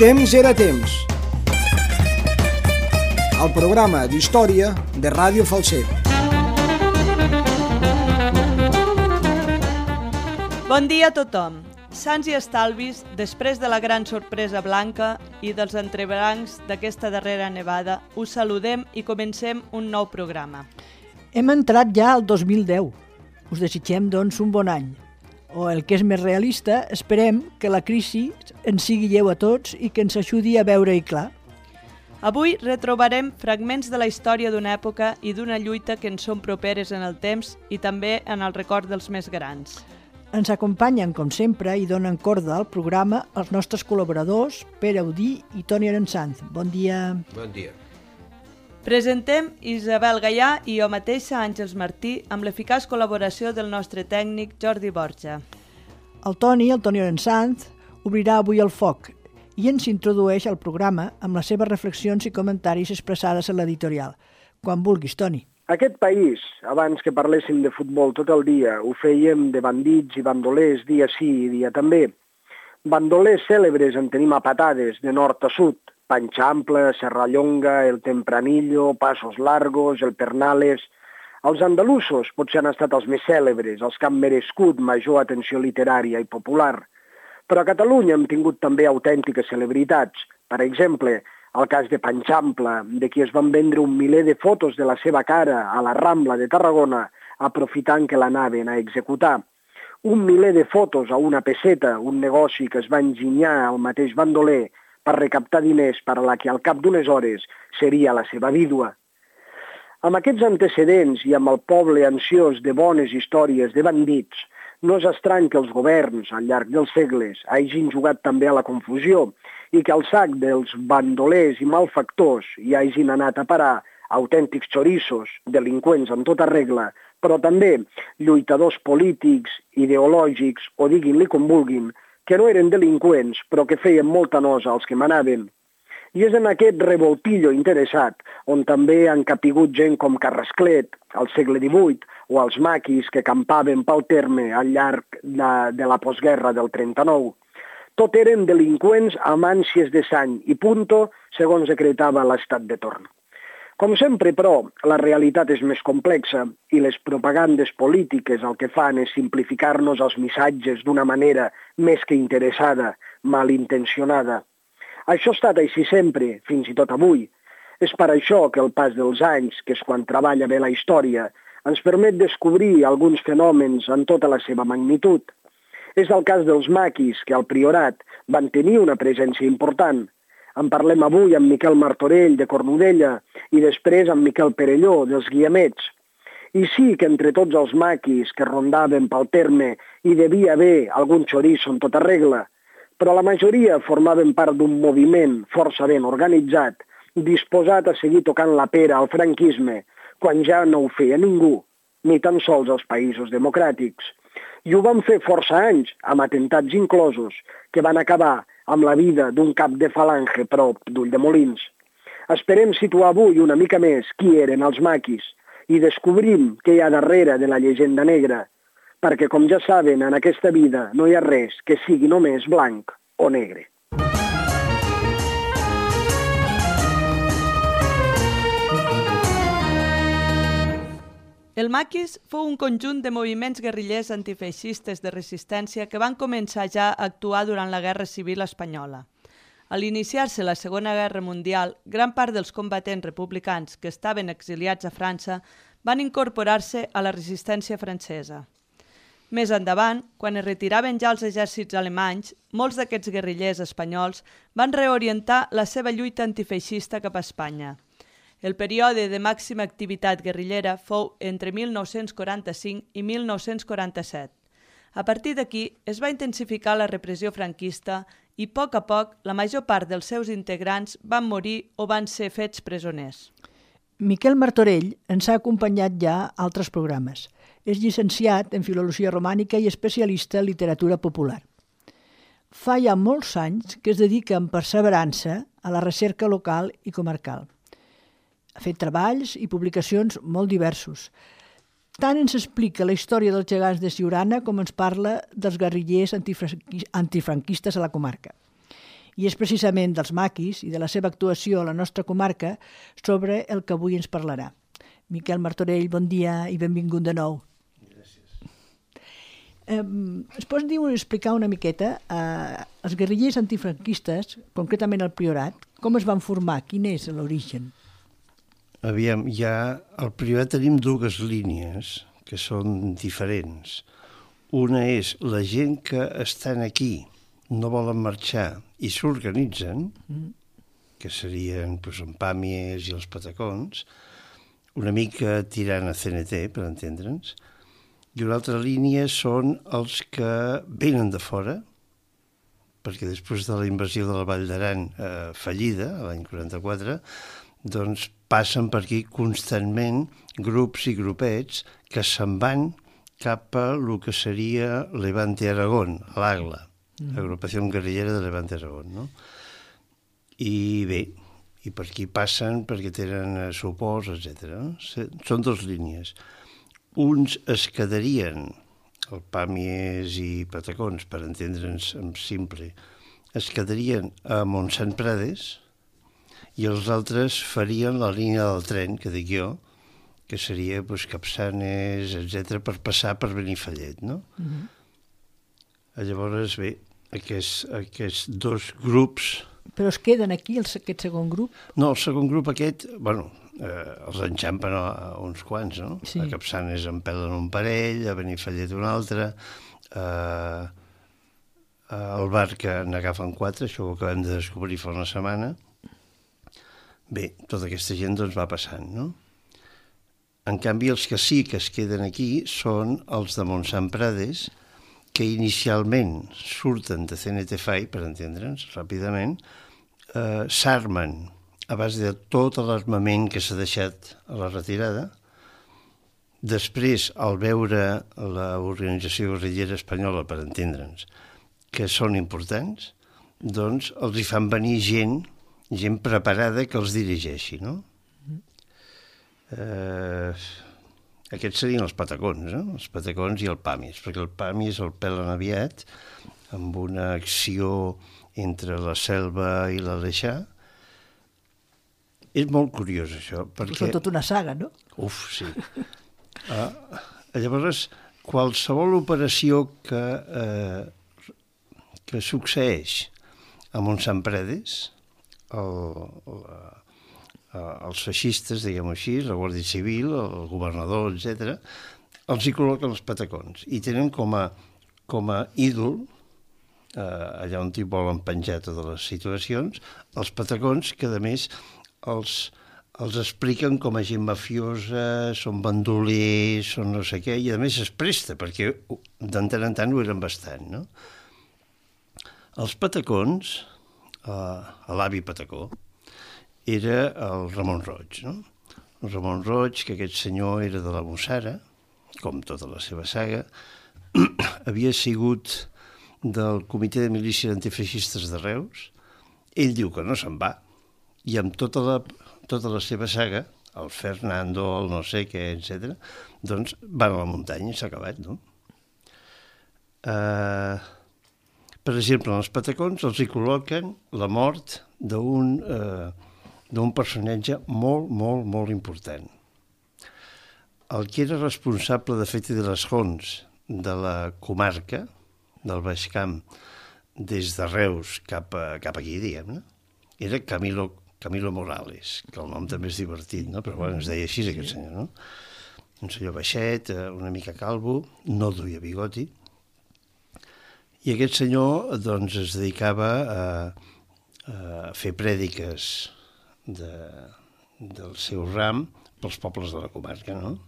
Temps era temps. El programa d'història de Ràdio Falset. Bon dia a tothom. Sants i estalvis, després de la gran sorpresa blanca i dels entrebancs d'aquesta darrera nevada, us saludem i comencem un nou programa. Hem entrat ja al 2010. Us desitgem, doncs, un bon any. O, el que és més realista, esperem que la crisi ens sigui lleu a tots i que ens ajudi a veure-hi clar. Avui retrobarem fragments de la història d'una època i d'una lluita que ens són properes en el temps i també en el record dels més grans. Ens acompanyen, com sempre, i donen corda al programa els nostres col·laboradors, Pere Audí i Toni Arensanz. Bon dia. Bon dia. Presentem Isabel Gaià i jo mateixa, Àngels Martí, amb l'eficaç col·laboració del nostre tècnic Jordi Borja. El Toni Arensanz, obrirà avui el foc i ens introdueix al programa amb les seves reflexions i comentaris expressades en l'editorial. Quan vulguis, Toni. Aquest país, abans que parléssim de futbol tot el dia, ho fèiem de bandits i bandolers dia sí i dia també. Bandolers cèlebres en tenim a patades, de nord a sud. Panxample, Serrallonga, el Tempranillo, Passos Largos, el Pernales. Els andalusos potser han estat els més cèlebres, els que han merescut major atenció literària i popular. Però a Catalunya hem tingut també autèntiques celebritats. Per exemple, el cas de Panxample, de qui es van vendre un miler de fotos de la seva cara a la Rambla de Tarragona, aprofitant que l'anaven a executar. Un miler de fotos a una peseta, un negoci que es va enginyar al mateix bandoler per recaptar diners per a la que al cap d'unes hores seria la seva vídua. Amb aquests antecedents i amb el poble ansiós de bones històries de bandits, no és estrany que els governs, al llarg dels segles, hagin jugat també a la confusió i que al sac dels bandolers i malfactors hi hagin anat a parar autèntics xorissos, delinqüents en tota regla, però també lluitadors polítics, ideològics o diguin-li com vulguin, que no eren delinqüents, però que feien molta nosa als que manaven. I és en aquest revoltillo interessat on també han capigut gent com Carrasclet, al segle XVIII, o els maquis que campaven pel terme al llarg de la postguerra del 39. Tot eren delinqüents amb ànsies de sang i punto, segons decretava l'estat de torn. Com sempre, però, la realitat és més complexa i les propagandes polítiques el que fan és simplificar-nos els missatges d'una manera més que interessada, malintencionada. Això ha estat així sempre, fins i tot avui. És per això que el pas dels anys, que és quan treballa bé la història, ens permet descobrir alguns fenòmens en tota la seva magnitud. És el cas dels maquis, que al Priorat van tenir una presència important. En parlem avui amb Miquel Martorell, de Cornudella, i després amb Miquel Perelló, dels Guiamets. I sí que entre tots els maquis que rondaven pel terme hi devia haver algun xoriço en tota regla, però la majoria formaven part d'un moviment força ben organitzat, disposat a seguir tocant la pera al franquisme, quan ja no ho feia ningú, ni tan sols els països democràtics. I ho van fer força anys, amb atemptats inclosos, que van acabar amb la vida d'un cap de falange prop d'Ulldemolins. Esperem situar avui una mica més qui eren els maquis i descobrim què hi ha darrere de la llegenda negra, perquè, com ja saben, en aquesta vida no hi ha res que sigui només blanc o negre. El maquis fou un conjunt de moviments guerrillers antifeixistes de resistència que van començar ja a actuar durant la Guerra Civil Espanyola. A l'iniciar-se la Segona Guerra Mundial, gran part dels combatents republicans que estaven exiliats a França van incorporar-se a la resistència francesa. Més endavant, quan es retiraven ja els exèrcits alemanys, molts d'aquests guerrillers espanyols van reorientar la seva lluita antifeixista cap a Espanya. El període de màxima activitat guerrillera fou entre 1945 i 1947. A partir d'aquí es va intensificar la repressió franquista i, a poc, la major part dels seus integrants van morir o van ser fets presoners. Miquel Martorell ens ha acompanyat ja a altres programes. És llicenciat en Filologia Romànica i especialista en literatura popular. Fa ja molts anys que es dedica amb perseverança a la recerca local i comarcal. Ha fet treballs i publicacions molt diversos. Tant ens explica la història dels gegants de Siurana com ens parla dels guerrillers antifranquistes a la comarca. I és precisament dels maquis i de la seva actuació a la nostra comarca sobre el que avui ens parlarà. Miquel Martorell, bon dia i benvingut de nou. Es pots explicar una miqueta els guerrillers antifranquistes, concretament el Priorat, com es van formar, quin és l'origen? Aviam, al Priorat tenim dues línies que són diferents. Una és la gent que estan aquí, no volen marxar i s'organitzen, que serien en Pàmies i els Patacons, una mica tirant a CNT, per entendre'ns. I una altra línia són els que venen de fora, perquè després de la invasió de la Vall d'Aran fallida, l'any 44, doncs passen per aquí constantment grups i grupets que se'n van cap a el que seria Levante Aragón, l'AGLA, Agrupació Guerrillera de Levante Aragón, no? I bé, i per aquí passen perquè tenen suports, etc. Són dues línies. Uns es quedarien, el Pàmies i Patacons, per entendre'ns en simple, es quedarien a Montsant Prades i els altres farien la línia del tren, que dic jo, que seria Capçanes, etc., per passar per Benifallet, no? Llavors, bé, aquests dos grups... Però es queden aquí, aquest segon grup? No, el segon grup aquest, els enxampen uns quants, no? Sí. A Capçanes en pelen un parell, a Benifallet un altre, al Barca n'agafen 4, això ho acabem de descobrir fa una setmana. Bé, tota aquesta gent doncs va passant, no? En canvi, els que sí que es queden aquí són els de Montsant Prades, que inicialment surten de CNT FAI, per entendre'ns, ràpidament, s'armen a base de tot l'armament que s'ha deixat a la retirada. Després, al veure l'organització guerrillera espanyola, per entendre'ns, que són importants, doncs els hi fan venir gent preparada que els dirigeixi, no? Aquests serien els Patacons, no? Els Patacons i el Pàmies, perquè el Pàmies el pelen aviat amb una acció entre la Selva i l'Aleixar. És molt curiós, això, perquè... És tota una saga, no? Uf, sí. Llavors, qualsevol operació que succeeix a Montsant Prades, els feixistes, diguem-ho així, la Guàrdia Civil, el governador, etc., els hi col·loquen els Patacons i tenen com a ídol, allà on hi volen penjar totes les situacions, els Patacons, que a més els expliquen com a gent mafiosa, són bandolers, són no sé què, i a més es presta, perquè de tant en tant ho eren bastant, no? Els Patacons, l'avi Patacó, era el Ramon Roig, no? El Ramon Roig, que aquest senyor era de la Mussara, com tota la seva saga, havia sigut del Comitè de Milícies Antifeixistes de Reus. Ell diu que no se'n va, i amb tota la seva saga, el Fernando, el no sé què, etc., doncs van a la muntanya i s'ha acabat, no? Per exemple, en els Patacons els hi col·loquen la mort d'un personatge molt, molt, molt important. El que era responsable de fet de les Jons de la comarca, del Baix Camp, des de Reus cap aquí, diguem-ne, era Camilo Morales, que el nom també és divertit, no? Però bueno, es deia així aquest senyor, no? Un senyor baixet, una mica calvo, no duia bigoti, i aquest senyor doncs, es dedicava a fer prèdiques del seu ram pels pobles de la comarca, no?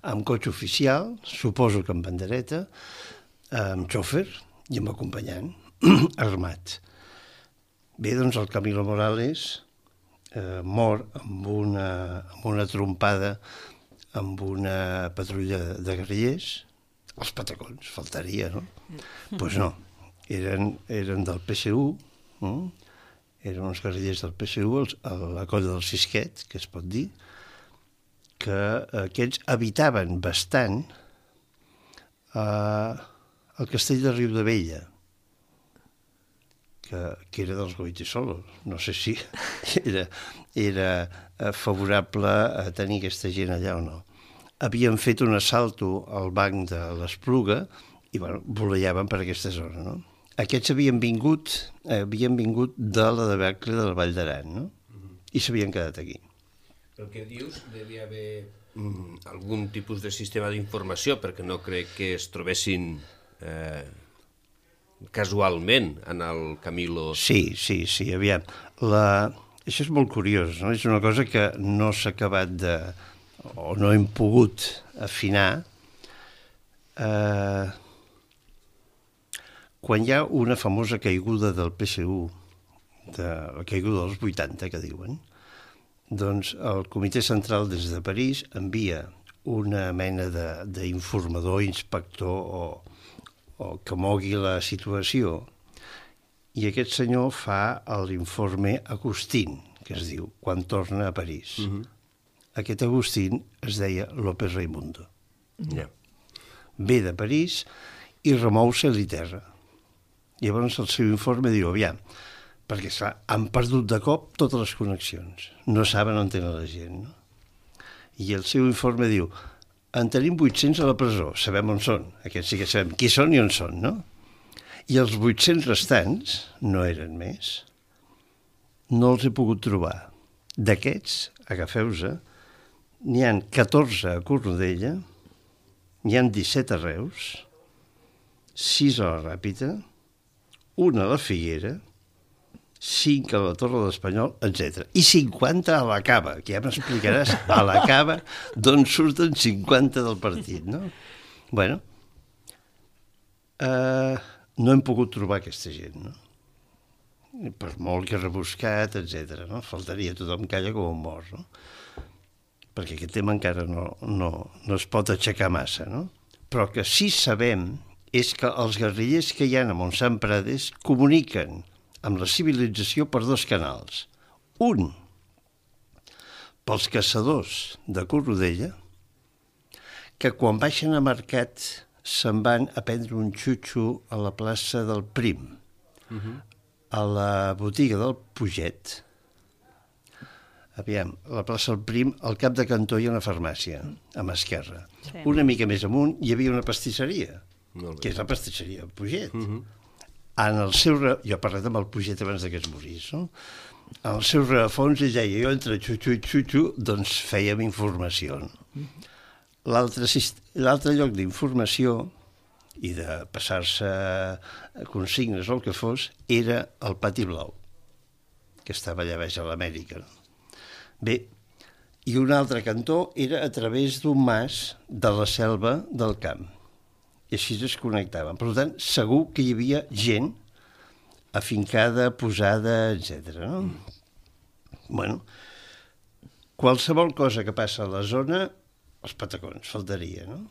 Amb cotxe oficial, suposo que amb bandereta, amb xòfer i amb acompanyant, armat. Bé, doncs el Camilo Morales mor amb una trompada amb una patrulla de guerrillers, els Patacons, faltaria, no? Doncs no, eren del PSU, eren uns guerrillers del PSU, la colla del Sisquet, que es pot dir, que aquests habitaven bastant al castell de Riudabella, que era dels Goytisolo. No sé si era favorable a tenir aquesta gent allà o no. Havien fet un assalto al banc de l'Espluga i volejaven per aquesta zona, no? Aquests havien vingut de la debacle del Vall d'Aran, no? I s'havien quedat aquí. El que dius, devia haver algun tipus de sistema d'informació, perquè no crec que es trobessin casualment en el Camilo. Sí, aviam. Això és molt curiós, no? És una cosa que no s'ha acabat o no hem pogut afinar. Quan hi ha una famosa caiguda del PSU, la caiguda dels 80, que diuen, doncs el Comitè Central des de París envia una mena d'informador, inspector o que mogui la situació, i aquest senyor fa l'informe Agustín, que es diu, quan torna a París. Aquest Agustín es deia López Raimundo. Ve de París i remou cel i terra. Llavors el seu informe diu, aviam, perquè clar, han perdut de cop totes les connexions, no saben on tenen la gent, no? I el seu informe diu, en tenim 800 a la presó, sabem on són, aquests sí que sabem qui són i on són, no? I els 800 restants, no eren més, no els he pogut trobar. D'aquests, agafeu-se, n'hi ha 14 a Cornudella, n'hi ha 17 a Reus, 6 a la Ràpita, 1 a la Figuera, 5 a la Torre de l'Espanyol, etc. I 50 a la Cava, que ja m'explicaràs a la Cava d'on surten 50 del partit, no? Bueno, no hem pogut trobar aquesta gent, no? Per molt que rebuscat, etc. No? Faltaria, tothom calla com un mort, no? Perquè aquest tema encara no es pot aixecar massa, no? Però que sí sabem és que els guerrillers que hi ha a Montsant Prades comuniquen amb la civilització per 2 canals. Un, pels caçadors de Cornudella, que quan baixen a mercat se'n van a prendre un xutxo a la plaça del Prim, a la botiga del Puget. Aviam, a la plaça del Prim, al cap de cantó hi ha una farmàcia, a mà esquerra. Sí. Una mica més amunt hi havia una pastisseria, que és la pastisseria del Puget. En el seu... Jo he parlat amb el Puget abans que es morís, no? En el seu rerefons ell deia, jo entre xutxu, doncs fèiem informació. L'altre lloc d'informació i de passar-se consignes o el que fos era el Pati Blau, que estava allà baix a l'Amèrica. Bé, i un altre cantó era a través d'un mas de la selva del camp. I així es connectaven. Per tant, segur que hi havia gent afincada, posada, etc. No? Bueno, qualsevol cosa que passa a la zona, els patacons, faltaria, no?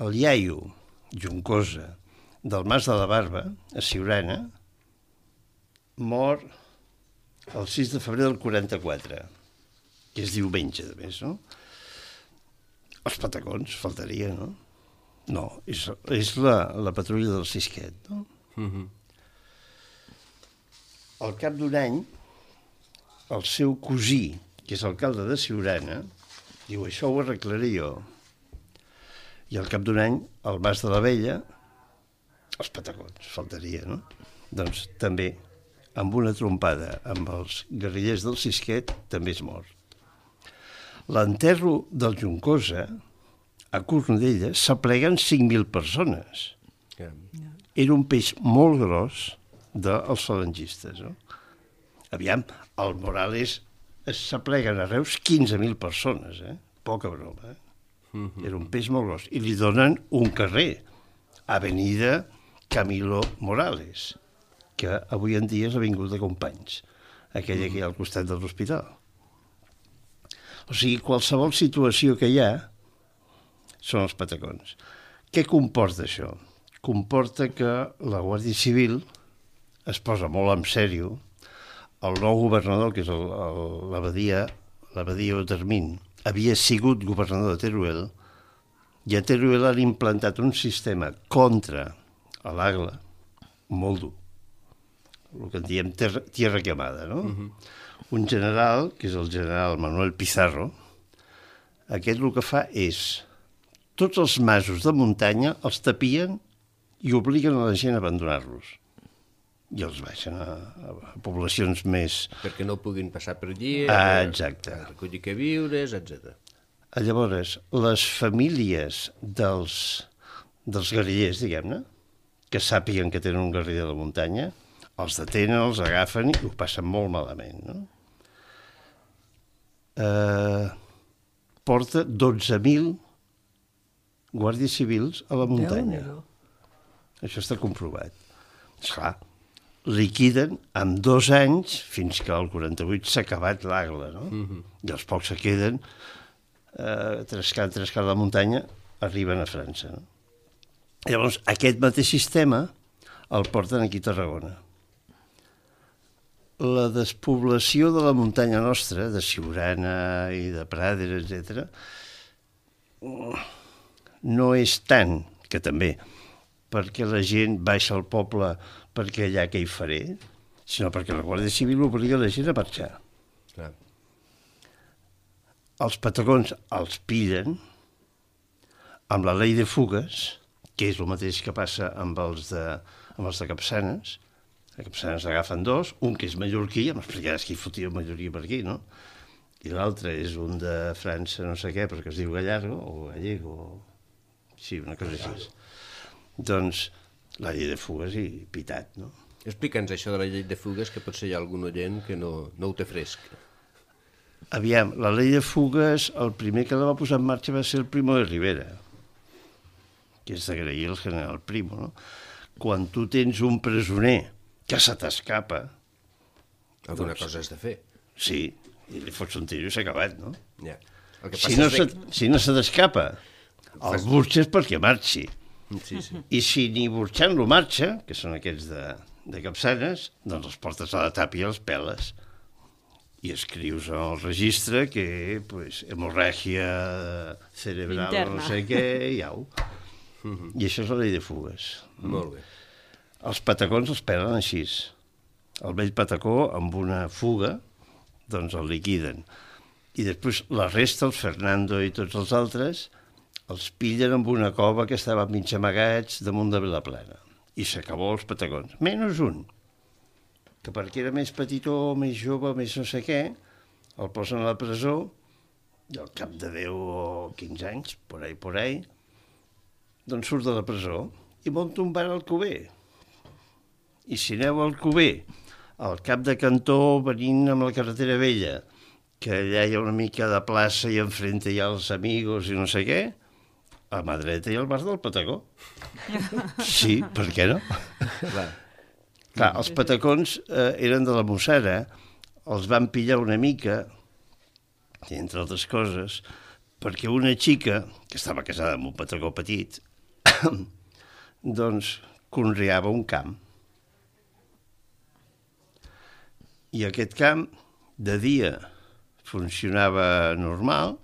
El iaio Juncosa del Mas de la Barba, a Siurana, mor el 6 de febrer del 44, que és diumenge, de més, no? Els patacons, faltaria, no? No, és la patrulla del Sisquet, no? Al cap d'un any, el seu cosí, que és alcalde de Siurana, diu, això ho arreglaré jo. I al cap d'un any, el Mas de la Vella, els patacons, faltaria, no? Doncs també, amb una trompada amb els guerrillers del Sisquet, també és mort. L'enterro del Juncosa, a Cornudella, s'apleguen 5.000 persones. Era un peix molt gros dels falangistes, no? Aviam, el Morales s'apleguen a Reus 15.000 persones, poca broma, Era un peix molt gros. I li donen un carrer, Avenida Camilo Morales, que avui en dia és l'Avinguda Companys, aquella que hi ha al costat de l'hospital. O sigui, qualsevol situació que hi ha són els patacons. Què comporta això? Comporta que la Guàrdia Civil es posa molt en sèrio. El nou governador, que és l'abadia Otermin, havia sigut governador de Teruel I a Teruel han implantat un sistema contra l'Agla molt dur. El que en diem tierra quemada, no? Un general, que és el general Manuel Pizarro, aquest el que fa és tots els masos de muntanya els tapien i obliguen a la gent a abandonar-los. I els baixen a poblacions més... Perquè no puguin passar per allí, exacte. A recollir que viures, etc. Llavors, les famílies dels guerrillers, diguem-ne, que sàpiguen que tenen un guerriller de la muntanya, els detenen, els agafen i ho passen molt malament, no? Porta 12.000 guàrdies civils a la muntanya. Això està comprovat. Esclar, liquiden en 2 anys, fins que al 48 s'ha acabat l'Agla, no? I els pocs que queden, trescant la muntanya, arriben a França, no? Llavors, aquest mateix sistema el porten aquí a Tarragona. La despoblació de la muntanya nostra, de Siurana i de Pradera, etc., no és tant, que també, perquè la gent baixa al poble perquè allà què hi faré, sinó perquè la Guàrdia Civil obliga la gent a marxar. Clar. Els patagons els pillen amb la llei de fugues, que és el mateix que passa amb els de Capçanes. A Capçanes agafen 2, un que és mallorquí, ja m'explicaràs qui fotia mallorquí per aquí, no? I l'altre és un de França, no sé què, perquè es diu Gallardo, o Gallego, o... sí, una cosa així. Doncs la llei de fugues i pitat, no? Explica'ns això de la llei de fugues, que potser hi ha algun oient que no ho té fresc. Aviam, la llei de fugues, el primer que la va posar en marxa va ser el Primo de Rivera, que és d'agrair el general Primo, no? Quan tu tens un presoner que se t'escapa... Alguna cosa has de fer. Sí, i li fots un tiro i s'ha acabat, no? Ja. Si no se t'escapa, el burxes perquè marxi. Sí, sí. I si ni burxant-lo marxa, que són aquests de Capçanes, doncs els portes a la tàpia i els peles. I escrius al registre que, pues, hemorràgia cerebral, interna. no sé què, i au. I això és la llei de fugues. Molt bé. Els patacons els pelen així. El vell patacó, amb una fuga, doncs el liquiden. I després la resta, el Fernando i tots els altres, els pillen amb una cova que estaven mig amagats damunt de Vilaplana. I s'acabó els patacons. Menys un, que perquè era més petitó, més jove, més no sé què, el posen a la presó i al cap de 10 o 15 anys, por ahí, doncs surt de la presó i munta un bar al Alcover. I si aneu al Alcover, al cap de cantó, venint amb la carretera vella, que allà hi ha una mica de plaça i enfrente hi ha els amigos i no sé què, a mà dreta hi ha el bar del Patacó. Sí, per què no? Clar, els patacons eren de la Mossara, els van pillar una mica, entre altres coses, perquè una xica, que estava casada amb un patacó petit, doncs conreava un camp. I aquest camp, de dia, funcionava normal,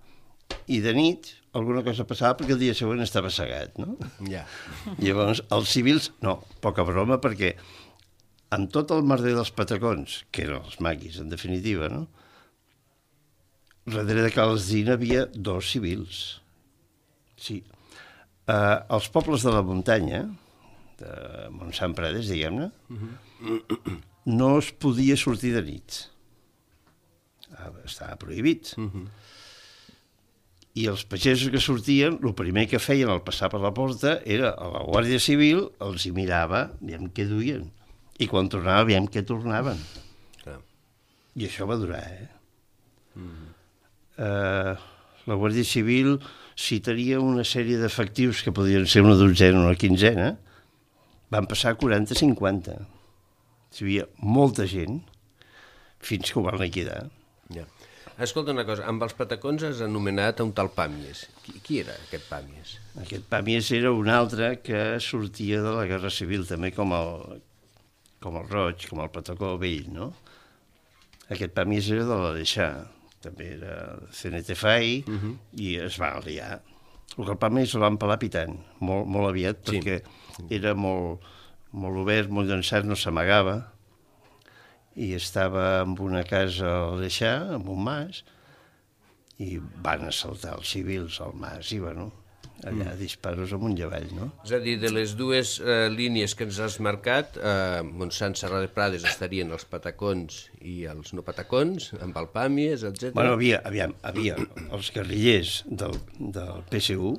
i de nit alguna cosa passava perquè el dia següent estava segat, no? Ja. Llavors, els civils, no, poca broma, perquè amb tot el merder dels patacons, que eren els maquis, en definitiva, no? Darrere de Calsdina havia 2 civils. Sí. Els pobles de la muntanya, de Montsant Prades, diguem-ne, no es podia sortir de nit. Estava prohibit. I els pagesos que sortien, el primer que feien al passar per la porta era a la Guàrdia Civil, els hi mirava, aviam què duien. I quan tornava, aviam què tornaven. Clar. I això va durar, la Guàrdia Civil, si tenia una sèrie d'efectius que podien ser una dotzena o una quinzena, van passar a 40-50. Hi havia molta gent fins que ho van liquidar. Ja. Escolta una cosa, amb els patacons has anomenat un tal Pàmies. Qui era aquest Pàmies? Aquest Pàmies era un altre que sortia de la Guerra Civil, també com el Roig, com el Patacó vell, no? Aquest Pàmies era de l'Aleixar, també era CNT-FAI, i es va aliar. El Galpames el van pelar pitant, molt aviat, perquè era molt obert, molt llançat, no s'amagava, i estava en una casa a l'Eixà, en un mas, i van assaltar els civils al mas, i bueno, allà disparos amunt i avall, no? És a dir, de les dues línies que ens has marcat, Montsant, Serra de Prades estarien els patacons i els no patacons, amb Alpàmies, etc. Bueno, havia els guerrillers del PSU,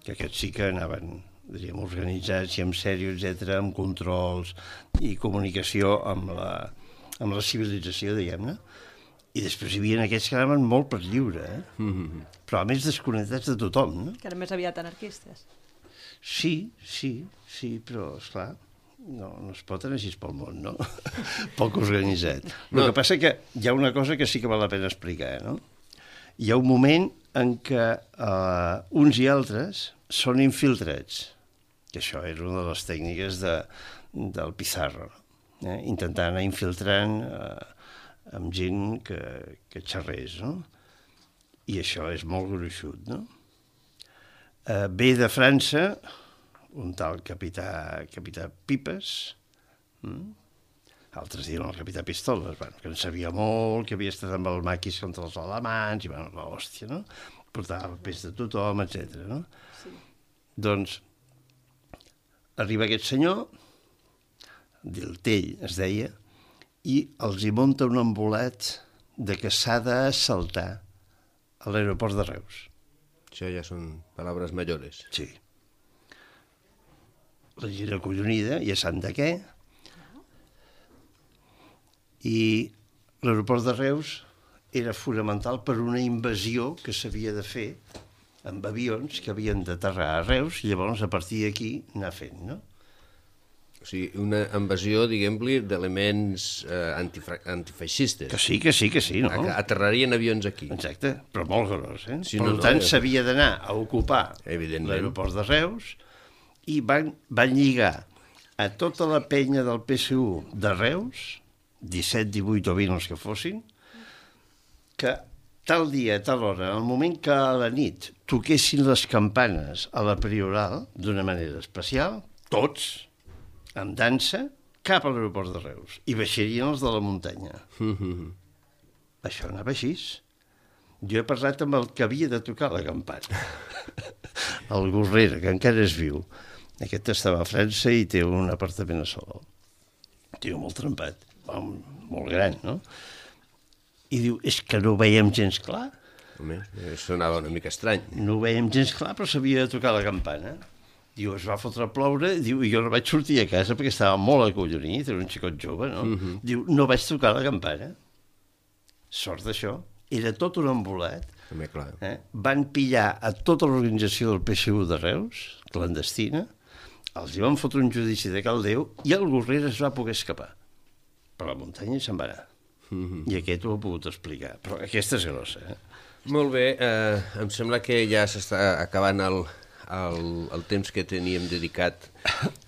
que aquests sí que anaven, diríem, organitzats i amb sèrio, etc., amb controls i comunicació amb la civilització, diguem-ne. I després hi havia aquests que anaven molt per lliure, però a més desconnectats de tothom, no? Que eren més aviat anarquistes. Sí, però, esclar, no es pot anar així pel món, no? Poc organitzat. El que passa que hi ha una cosa que sí que val la pena explicar, no? Hi ha un moment en què uns i altres són infiltrats, que això era una de les tècniques del Pizarro, intentar anar infiltrant amb gent que xerrés, no? I això és molt gruixut, no? Ve de França un tal capità Pipes, altres diuen el capità Pistoles, que en sabia molt, que havia estat amb el maquis contra els alemans, i bueno, l'hòstia, no? Portava papers de tothom, etc. no? Sí. Doncs arriba aquest senyor, Diltell es deia, i els hi munta un embolet de que s'ha d'assaltar a l'aeroport de Reus. Això ja són paraules majores. Sí. La gent acollonida, ja sap de què. I l'aeroport de Reus era fonamental per una invasió que s'havia de fer amb avions que havien d'aterrar a Reus i llavors a partir d'aquí anar fent, no? O sigui, una invasió, diguem-li, d'elements antifeixistes. Que sí, no? Aterrarien avions aquí. Exacte, però molt gros, eh? Sí, per tant, s'havia d'anar a ocupar l'aeroport de Reus i van lligar a tota la penya del PSU de Reus, 17, 18 o 20 els que fossin, que tal dia, tal hora, en el moment que a la nit toquessin les campanes a la Prioral, d'una manera especial, tots, amb dansa, cap a l'aeroport de Reus. I baixarien els de la muntanya. Això anava així. Jo he parlat amb el que havia de tocar la campana. El Gorrera, que encara és viu. Aquest estava a França i té un apartament a Salou. Tio molt trempat, molt gran, no? I diu, és que no ho veiem gens clar. Home, sonava una mica estrany. No ho veiem gens clar, però s'havia de tocar la campana. Diu, es va fotre a ploure, diu, i jo no vaig sortir a casa perquè estava molt acollonit, era un xicot jove, no? Diu, no vaig tocar la campana. Sort d'això. Era tot un embolat. També, clar. Van pillar a tota l'organització del PSU de Reus, clandestina, els hi van fotre un judici de cal Déu i el Gorrera es va poder escapar. Per la muntanya se'n va anar. I aquest ho he pogut explicar. Però aquesta és grossa, Molt bé, em sembla que ja s'està acabant el temps que teníem dedicat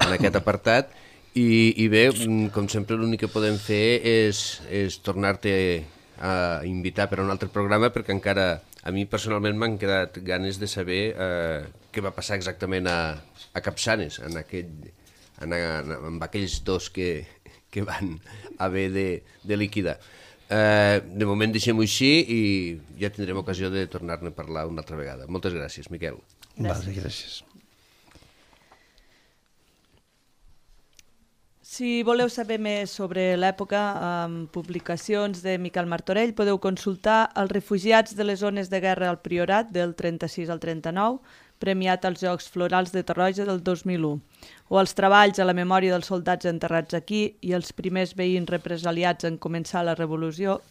en aquest apartat i bé, com sempre l'únic que podem fer és tornar-te a invitar per a un altre programa perquè encara a mi personalment m'han quedat ganes de saber què va passar exactament a Capçanes amb aquells dos que van haver de liquidar. De moment deixem-ho així i ja tindrem ocasió de tornar-ne a parlar una altra vegada. Moltes gràcies, Miquel. Gràcies. Si voleu saber més sobre l'època, amb publicacions de Miquel Martorell, podeu consultar Els refugiats de les zones de guerra al Priorat del 36 al 39, premiat als Jocs Florals de Tarroja del 2001, o els treballs a la memòria dels soldats enterrats aquí i els primers veïns represaliats en començar la revolució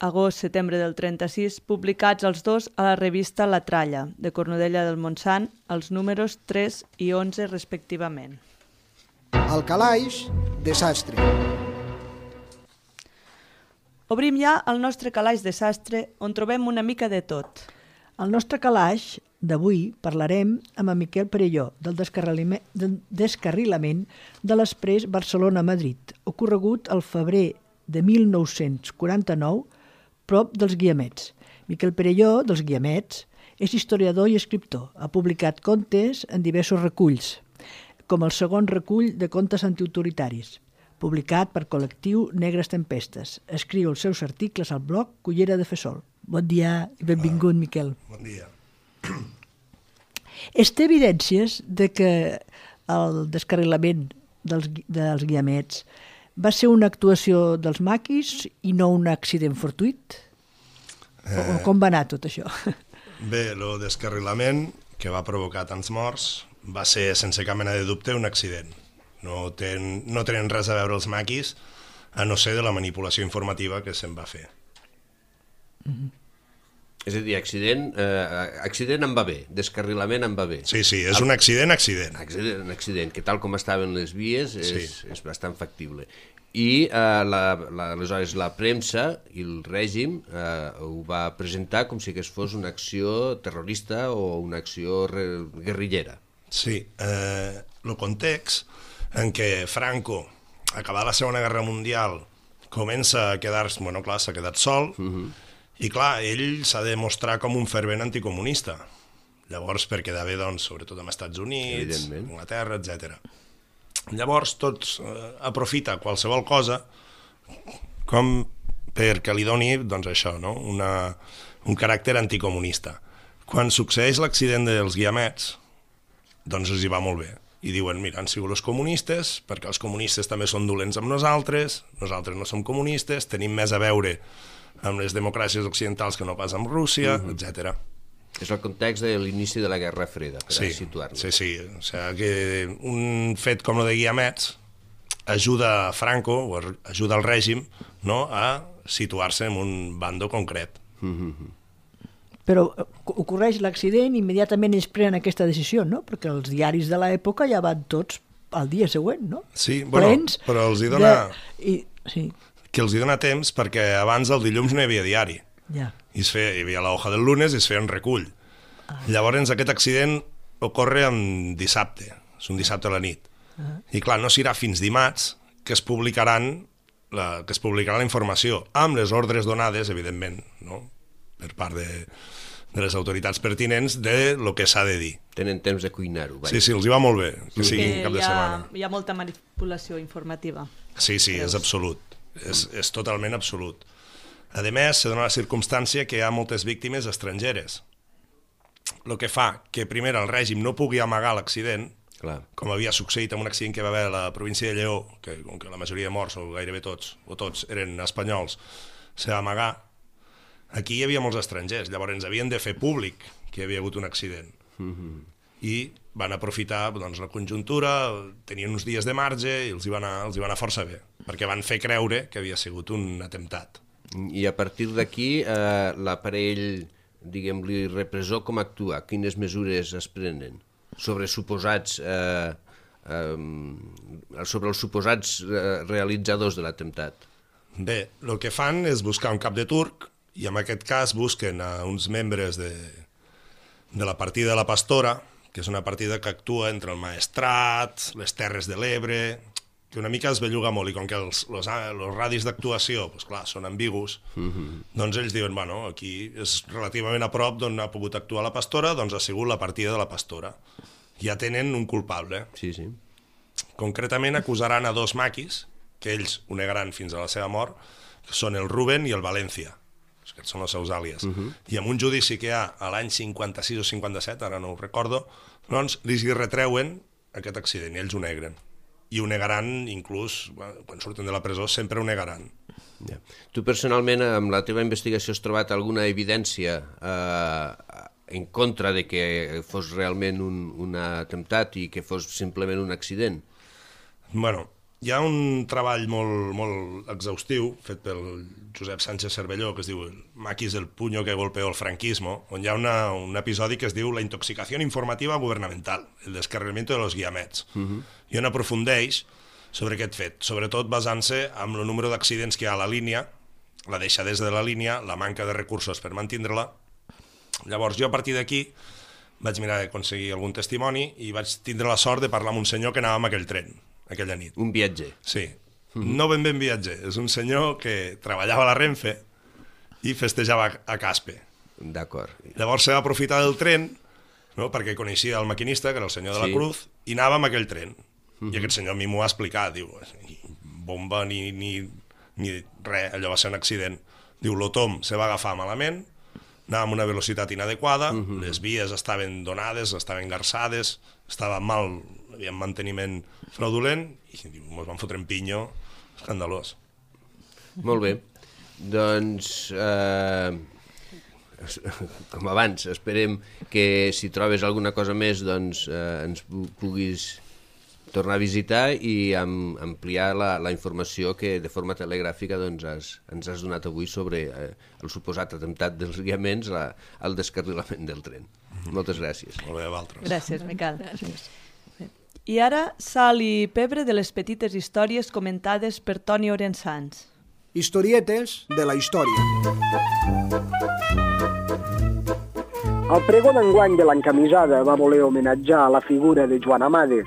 agost-setembre del 36, publicats els dos a la revista La Tralla, de Cornudella del Montsant, els números 3 i 11 respectivament. Al calaix, desastre. Obrim ja el nostre calaix de sastre, on trobem una mica de tot. Al nostre calaix d'avui parlarem amb en Miquel Perelló del descarrilament de l'exprés Barcelona-Madrid, ocorregut al febrer de 1949, prop dels Guiamets. Miquel Perelló, dels Guiamets, És historiador i escriptor. Ha publicat contes en diversos reculls, com el segon recull de contes antiautoritaris, publicat per col·lectiu Negres Tempestes. Escriu els seus articles al blog Cullera de Fesol. Bon dia i benvingut, Miquel. Bon dia. Es té evidències de que el descarrilament dels guiamets va ser una actuació dels maquis i no un accident fortuït? O com va anar tot això? Bé, el descarrilament que va provocar tants morts va ser, sense cap mena de dubte, un accident. No tenen res a veure els maquis, a no ser de la manipulació informativa que se'n va fer. És a dir, accident em va bé, descarrilament em va bé. Sí, és un accident. Accident, que tal com estaven les vies és bastant factible. I aleshores la premsa i el règim ho va presentar com si fos una acció terrorista o una acció guerrillera. Sí, el context en què Franco, acabada la Segona Guerra Mundial, comença a quedar-se, bueno, clar, s'ha quedat sol, i clar, ell s'ha de mostrar com un fervent anticomunista. Llavors, per quedar bé, doncs, sobretot amb Estats Units, Anglaterra, etc. Llavors, tots aprofita qualsevol cosa com perquè li doni, doncs això, no? un caràcter anticomunista. Quan succeeix l'accident dels guiamets, doncs els hi va molt bé. I diuen, mira, han sigut els comunistes, perquè els comunistes també són dolents amb nosaltres no som comunistes, tenim més a veure amb les democràcies occidentals que no pas amb Rússia, etc. És el context de l'inici de la Guerra Freda, per situar-nos. Sí. O sigui, que un fet com el de guiamets ajuda a Franco, o ajuda al règim, no?, a situar-se en un bando concret. Però ocorreix l'accident i immediatament ells prenen aquesta decisió, no? Perquè els diaris de l'època ja van tots al dia següent, no? Sí, bueno, plens però els hi dona... Sí. Que els hi dona temps perquè abans el dilluns no hi havia diari. Ja. Hi havia l'hoja del lunes i es feia un recull. Llavors aquest accident ocorre en dissabte, és un dissabte a la nit. I clar, no serà fins dimarts que es publicarà la informació, amb les ordres donades, evidentment, no?, per part de les autoritats pertinents de lo que s'ha de dir. Tenen temps de cuinar-ho. Sí, els hi va molt bé, que sigui cap de setmana. Hi ha molta manipulació informativa. Sí, és absolut, és totalment absolut. A més, se dona la circumstància que hi ha moltes víctimes estrangeres, el que fa que primer el règim no pugui amagar l'accident, com havia succeït amb un accident que va haver a la província de Lleó, que com que la majoria de morts, o gairebé tots, eren espanyols, se va amagar. Aquí hi havia molts estrangers, llavors ens havien de fer públic que hi havia hagut un accident. I van aprofitar la conjuntura, tenien uns dies de marge i els hi va anar força bé, perquè van fer creure que havia sigut un atemptat. I a partir d'aquí l'aparell, diguem-li, repressor, com actua? Quines mesures es prenen sobre els suposats realitzadors de l'atemptat? Bé, el que fan és buscar un cap de turc, i en aquest cas busquen a uns membres de la partida de la Pastora, que és una partida que actua entre el Maestrat, les Terres de l'Ebre, que una mica es belluga molt, i com que els radis d'actuació, doncs clar, són ambigus, doncs ells diuen, bueno, aquí és relativament a prop d'on ha pogut actuar la Pastora, doncs ha sigut la partida de la Pastora. Ja tenen un culpable. Sí. Concretament acusaran a 2 maquis, que ells ho negaran fins a la seva mort, que són el Rubén i el València. Aquests són els seus àlies. I en un judici que hi ha a l'any 56 o 57, ara no ho recordo, doncs li retreuen aquest accident i ells ho negren. I ho negaran, inclús, quan surten de la presó, sempre ho negaran. Tu personalment, amb la teva investigació, has trobat alguna evidència en contra de que fos realment un atemptat i que fos simplement un accident? Bueno, hi ha un treball molt exhaustiu fet pel Josep Sánchez Cervelló que es diu Maquis del puño que golpeó el franquismo, on hi ha un episodi que es diu La intoxicació informativa gubernamental, el descarrilamiento de los guiamets, i on aprofundeix sobre aquest fet, sobretot basant-se en el número d'accidents que hi ha a la línia, la deixadesa de la línia, la manca de recursos per mantindre-la. Llavors jo a partir d'aquí vaig mirar d'aconseguir algun testimoni i vaig tindre la sort de parlar amb un senyor que anava amb aquell tren aquella nit. Un viatger. Sí, no ben viatger, és un senyor que treballava a la Renfe i festejava a Caspe. D'acord. Llavors se va aprofitar del tren, no? Perquè coneixia el maquinista, que era el senyor de la Cruz, i anava amb aquell tren. I aquest senyor a mi m'ho va explicar, diu, bomba ni res, allò va ser un accident. Diu, l'Otom se va agafar malament, anava amb una velocitat inadequada, les vies estaven donades, estaven garçades, estava mal, hi havia manteniment fraudulent, i diu, mos van fotre en pinyo, escandalós. Molt bé. Doncs, com abans, esperem que si trobes alguna cosa més doncs ens puguis tornar a visitar i ampliar la informació que de forma telegràfica doncs, ens has donat avui sobre el suposat atemptat dels guiaments al descarrilament del tren. Moltes gràcies. Molt bé, Valtres. Gràcies, Miquel. I ara, sal i pebre de les petites històries comentades per Toni Orensans. Historietes de la història. El pregó d'enguany de l'encamisada va voler homenatjar la figura de Joan Amades.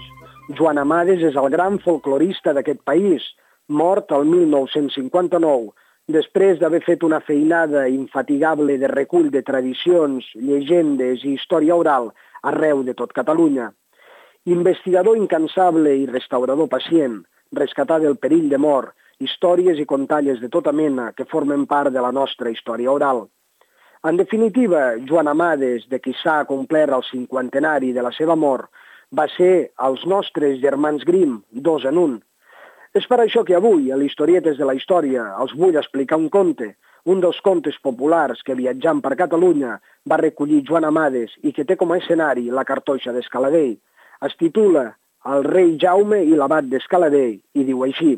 Joan Amades és el gran folclorista d'aquest país, mort el 1959, després d'haver fet una feinada infatigable de recull de tradicions, llegendes i història oral arreu de tot Catalunya. Investigador incansable i restaurador pacient, rescatar del perill de mort, històries i contalles de tota mena que formen part de la nostra història oral. En definitiva, Joan Amades, de qui s'ha complert el 50enari de la seva mort, va ser els nostres germans Grimm, dos en un. És per això que avui, a l'Historietes de la Història, els vull explicar un conte, un dels contes populars que viatjant per Catalunya va recollir Joan Amades i que té com a escenari la cartoixa d'Escaladell. Es titula El rei Jaume i l'abat d'Escaladell i diu així.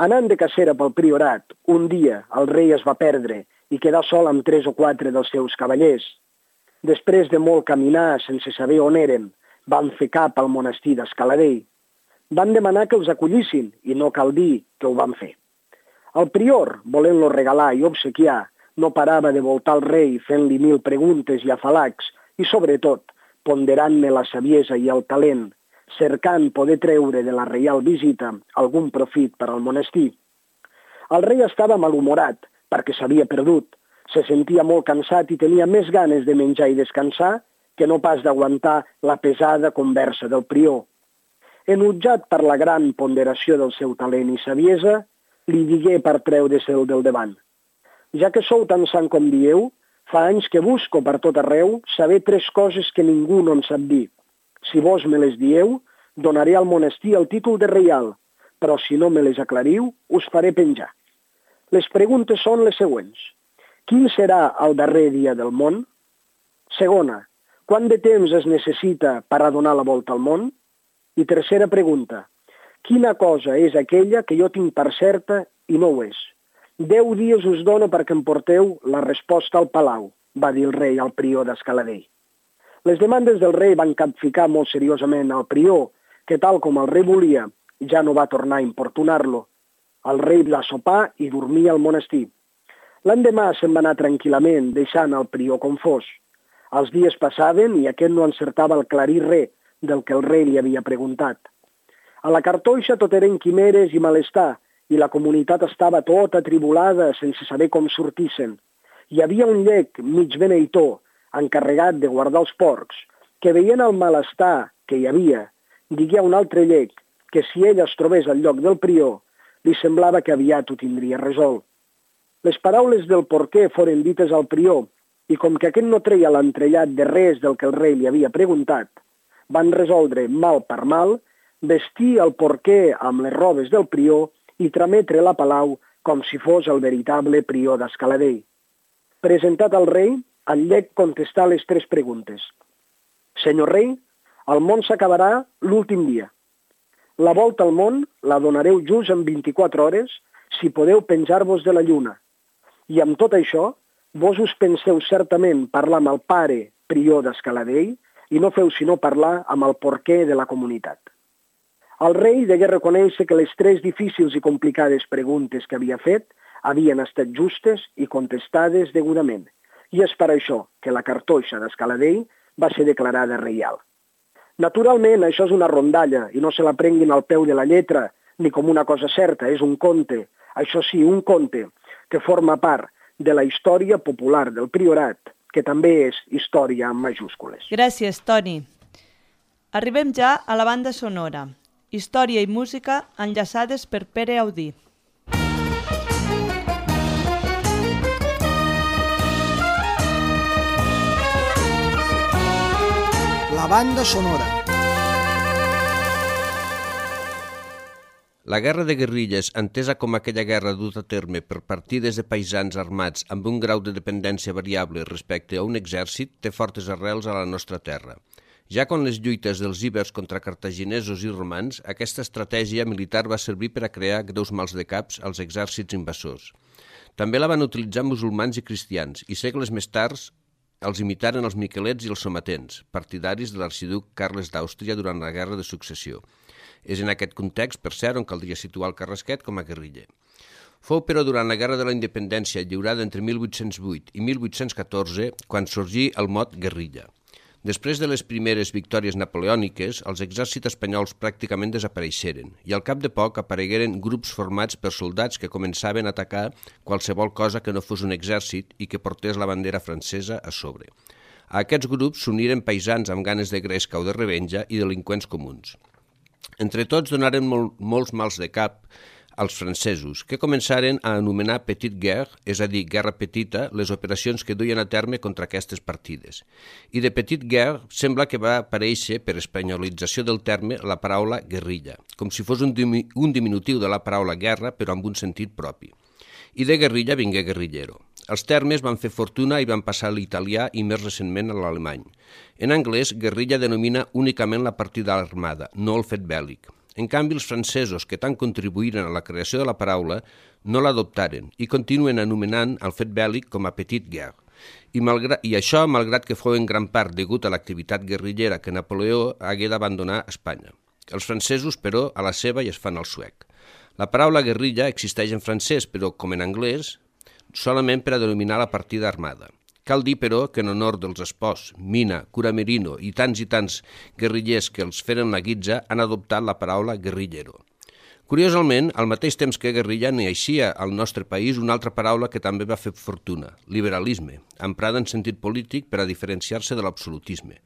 Anant de cacera pel priorat, un dia el rei es va perdre i quedar sol amb 3 o 4 dels seus cavallers. Després de molt caminar sense saber on eren, van fer cap al monestir d'Escaladell. Van demanar que els acollissin i no cal dir que ho van fer. El prior, volent-lo regalar i obsequiar, no parava de voltar el rei fent-li 1000 preguntes i afalacs i, sobretot, ponderant-ne la saviesa i el talent, cercant poder treure de la reial visita algun profit per al monestir. El rei estava malhumorat perquè s'havia perdut, se sentia molt cansat i tenia més ganes de menjar i descansar que no pas d'aguantar la pesada conversa del prior. Enutjat per la gran ponderació del seu talent i saviesa, li digué per treure-se'l del davant. Ja que sou tan sant com dieu, fa anys que busco per tot arreu saber 3 coses que ningú no en sap dir. Si vos me les dieu, donaré al monestir el títol de reial, però si no me les aclariu, us faré penjar. Les preguntes són les següents. Quin serà el darrer dia del món? Segona, quant de temps es necessita per a donar la volta al món? I tercera pregunta, quina cosa és aquella que jo tinc per certa i no ho és? 10 dies us dono perquè em porteu la resposta al palau, va dir el rei al prior d'Escaladell. Les demandes del rei van capficar molt seriosament al prior, que tal com el rei volia, ja no va tornar a importunar-lo. El rei va sopar i dormir al monestir. L'endemà se'n va anar tranquil·lament, deixant el prior confós. Els dies passaven i aquest no encertava el clarir res del que el rei li havia preguntat. A la cartoixa tot eren quimeres i malestar, i la comunitat estava tota atribulada sense saber com sortissin. Hi havia un llec mig beneitor, encarregat de guardar els porcs, que veient el malestar que hi havia, digué a un altre llec que si ell es trobés al lloc del prior, li semblava que aviat ho tindria resolt. Les paraules del porquer foren dites al prior, i com que aquest no treia l'entrellat de res del que el rei li havia preguntat, van resoldre mal per mal, vestir el porquer amb les robes del prior i trametre la palau com si fos el veritable prior d'Escaladell. Presentat al rei, el llec contestà les 3 preguntes. Senyor rei, el món s'acabarà l'últim dia. La volta al món la donareu just en 24 hores si podeu penjar-vos de la lluna. I amb tot això, vos us penseu certament parlar amb el pare prior d'Escaladell i no feu sinó parlar amb el porquer de la comunitat. El rei degué reconèixer que les 3 difícils i complicades preguntes que havia fet havien estat justes i contestades degudament, i és per això que la cartoixa d'Escaladell va ser declarada reial. Naturalment, això és una rondalla i no se la prenguin al peu de la lletra ni com una cosa certa, és un conte, això sí, un conte que forma part de la història popular del Priorat, que també és història amb majúscules. Gràcies, Toni. Arribem ja a la banda sonora. Història i música enllaçades per Pere Audí. La banda sonora. La guerra de guerrilles, entesa com aquella guerra duta a terme per partides de paisans armats amb un grau de dependència variable respecte a un exèrcit, té fortes arrels a la nostra terra. Ja quan les lluites dels ibers contra cartaginesos i romans, aquesta estratègia militar va servir per a crear greus mals de caps als exèrcits invasors. També la van utilitzar musulmans i cristians, i segles més tard els imitaren els miquelets i els somatents, partidaris de l'arxiduc Carles d'Àustria durant la Guerra de Successió. És en aquest context, per cert, on caldria situar el Carrasquet com a guerriller. Fou, però, durant la Guerra de la Independència, lliurada entre 1808 i 1814, quan sorgí el mot guerrilla. Després de les primeres victòries napoleòniques, els exèrcits espanyols pràcticament desapareixeren i al cap de poc aparegueren grups formats per soldats que començaven a atacar qualsevol cosa que no fos un exèrcit i que portés la bandera francesa a sobre. A aquests grups s'uniren paisans amb ganes de gresca o de revenja i delinqüents comuns. Entre tots donaren molts mals de cap als francesos, que començaren a anomenar Petite Guerre, és a dir, guerra petita, les operacions que duien a terme contra aquestes partides. I de Petite Guerre sembla que va aparèixer, per espanyolització del terme, la paraula guerrilla, com si fos un diminutiu de la paraula guerra, però amb un sentit propi. I de guerrilla vingué guerrillero. Els termes van fer fortuna i van passar a l'italià i més recentment a l'alemany. En anglès, guerrilla denomina únicament la partida armada, no el fet bèl·lic. En canvi, els francesos, que tant contribuïren a la creació de la paraula, no l'adoptaren i continuen anomenant el fet bèl·lic com a Petite Guerre. I això, malgrat que fou en gran part degut a l'activitat guerrillera que Napoleó hagué d'abandonar Espanya. Els francesos, però, a la seva i es fan al suec. La paraula guerrilla existeix en francès, però, com en anglès, solament per a denominar la partida armada. Cal dir, però, que en honor dels Espòs, Mina, Curamerino i tants guerrillers que els feren la guitza han adoptat la paraula guerrillero. Curiosament, al mateix temps que guerrilla naixia al nostre país una altra paraula que també va fer fortuna, liberalisme, emprada en sentit polític per a diferenciar-se de l'absolutisme.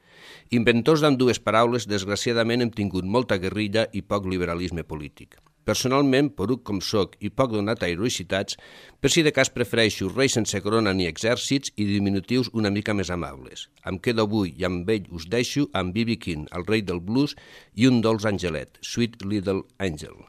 Inventors d'ambdues paraules, desgraciadament hem tingut molta guerrilla i poc liberalisme polític. Personalment, poruc com soc i poc donat a heroïcitats, per si de cas prefereixo reis sense corona ni exèrcits i diminutius una mica més amables. Em quedo avui i amb ell us deixo amb B.B. King, el rei del blues, i un dolç angelet, Sweet Little Angel.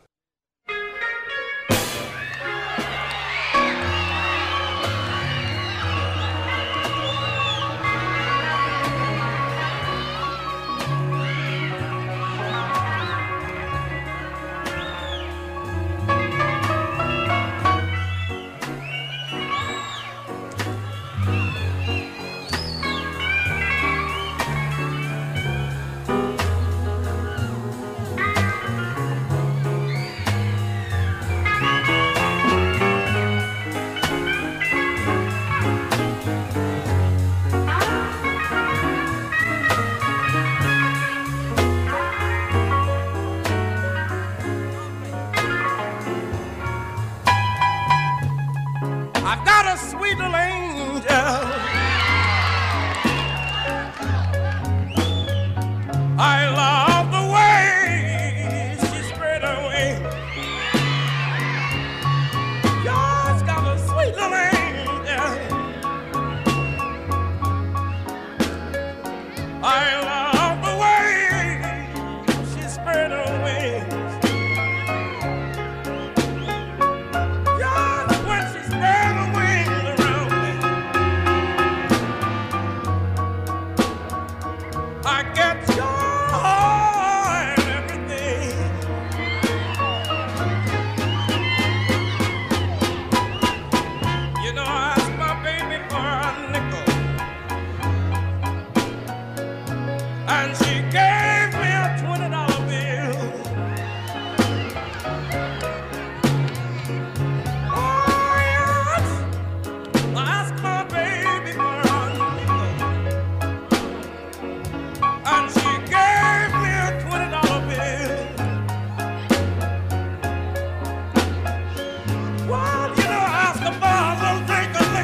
Well, you know, I asked the bar, little drink of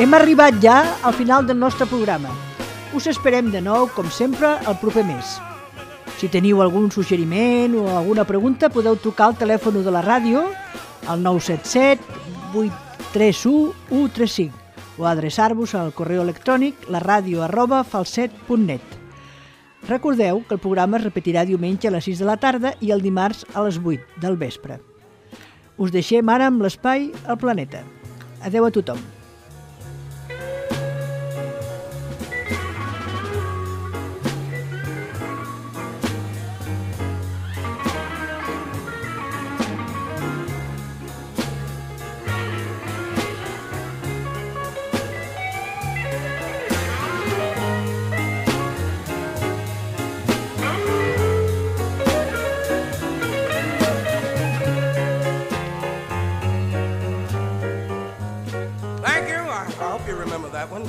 Hem arribat ja al final del nostre programa. Us esperem de nou, com sempre, el proper mes. Si teniu algun suggeriment o alguna pregunta, podeu trucar al telèfon de la ràdio al 977 831 135 o adreçar-vos al correu electrònic laradio@falset.net. Recordeu que el programa es repetirà diumenge a les 6 de la tarda i el dimarts a les 8 del vespre. Us deixem ara amb l'espai al planeta. Adeu a tothom. I hope you remember that one.